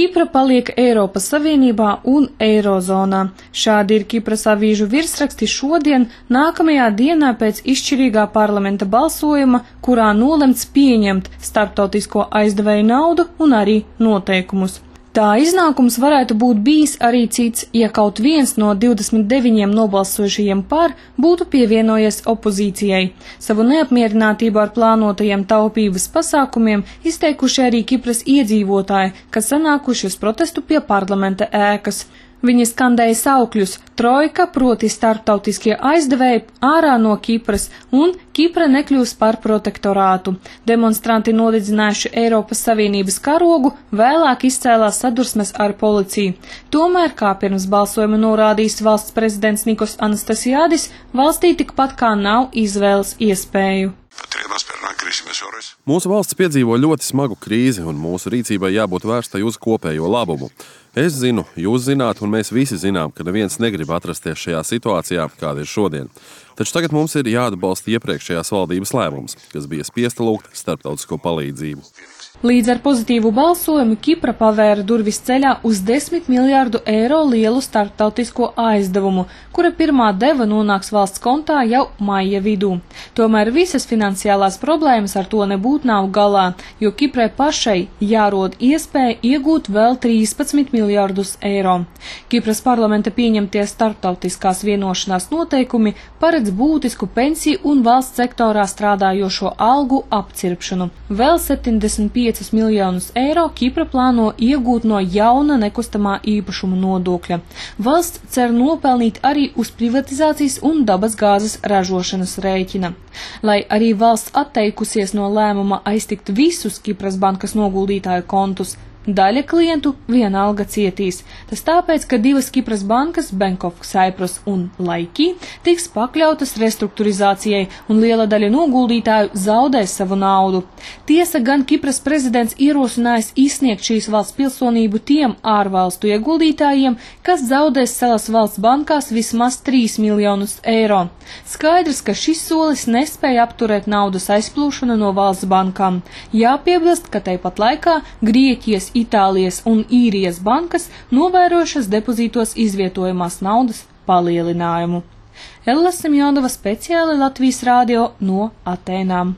Kipra paliek Eiropas Savienībā un Eirozonā. Šādi ir Kipras avīžu virsraksti šodien, nākamajā dienā pēc izšķirīgā parlamenta balsojuma, kurā nolemts pieņemt starptautisko aizdevēju naudu un arī noteikumus. Tā iznākums varētu būt bijis arī cits, ja kaut viens no 29 nobalsojušajiem par būtu pievienojies opozīcijai. Savu neapmierinātību ar plānotajiem taupības pasākumiem izteikuši arī Kipras iedzīvotāji, kas sanākuši uz protestu pie parlamenta ēkas. Viņi skandēja saukļus trojka, proti starptautiskie aizdevēji ārā no Kipras, un Kipra nekļūs par protektorātu. Demonstranti nodedzinājuši Eiropas Savienības karogu, vēlāk izcēlās sadursmes ar policiju. Tomēr, kā pirms balsojuma norādījis valsts prezidents Nikos Anastasiādis, valstī tikpat kā nav izvēles iespēju. Mūsu valsts piedzīvo ļoti smagu krīzi, un mūsu rīcībai jābūt vērstai uz kopējo labumu. Es zinu, jūs zināt, un mēs visi zinām, ka neviens negrib atrasties šajā situācijā, kāda ir šodien. Taču tagad mums ir jāatbalsta iepriekšējās valdības lēmums, kas bija spiesta lūgt starptautisko palīdzību. Līdz ar pozitīvu balsojumu Kipra pavēra durvis ceļā uz 10 miljārdu eiro lielu starptautisko aizdevumu, kura pirmā deva nonāks valsts kontā jau maija vidū. Tomēr visas finansiālās problēmas ar to nebūtu nav galā, jo Kiprai pašai jārod iespēja iegūt vēl 13 miljārdus eiro. Kipras parlamenta pieņemtie starptautiskās vienošanās noteikumi paredz būtisku pensiju un valsts sektorā strādājošo algu apcirpšanu. Vēl 75 miljonus eiro Kipra plāno iegūt no jauna nekustamā īpašuma nodokļa. Valsts cer nopelnīt arī uz privatizācijas un dabas gāzes ražošanas rēķina. Lai arī valsts atteikusies no lēmuma aiztikt visus Kipras bankas noguldītāju kontus, daļa klientu vienalga cietīs. Tas tāpēc, ka divas Kipras bankas, Bank of Cyprus un Laiki, tiks pakļautas restruktūrizācijai un liela daļa noguldītāju zaudēs savu naudu. Tiesa gan Kipras prezidents ierosinājis izsniegt šīs valsts pilsonību tiem ārvalstu ieguldītājiem, kas zaudēs salas valsts bankās vismaz 3 miljonus eiro. Skaidrs, ka šis solis nespēja apturēt naudas aizplūšanu no valsts bankām. Jāpiebilst, ka tāpat laikā Grieķijas, Itālijas un Īrijas bankas novērojušas depozītos izvietojamās naudas palielinājumu. Ella Semjonova speciāli Latvijas radio no Atēnām.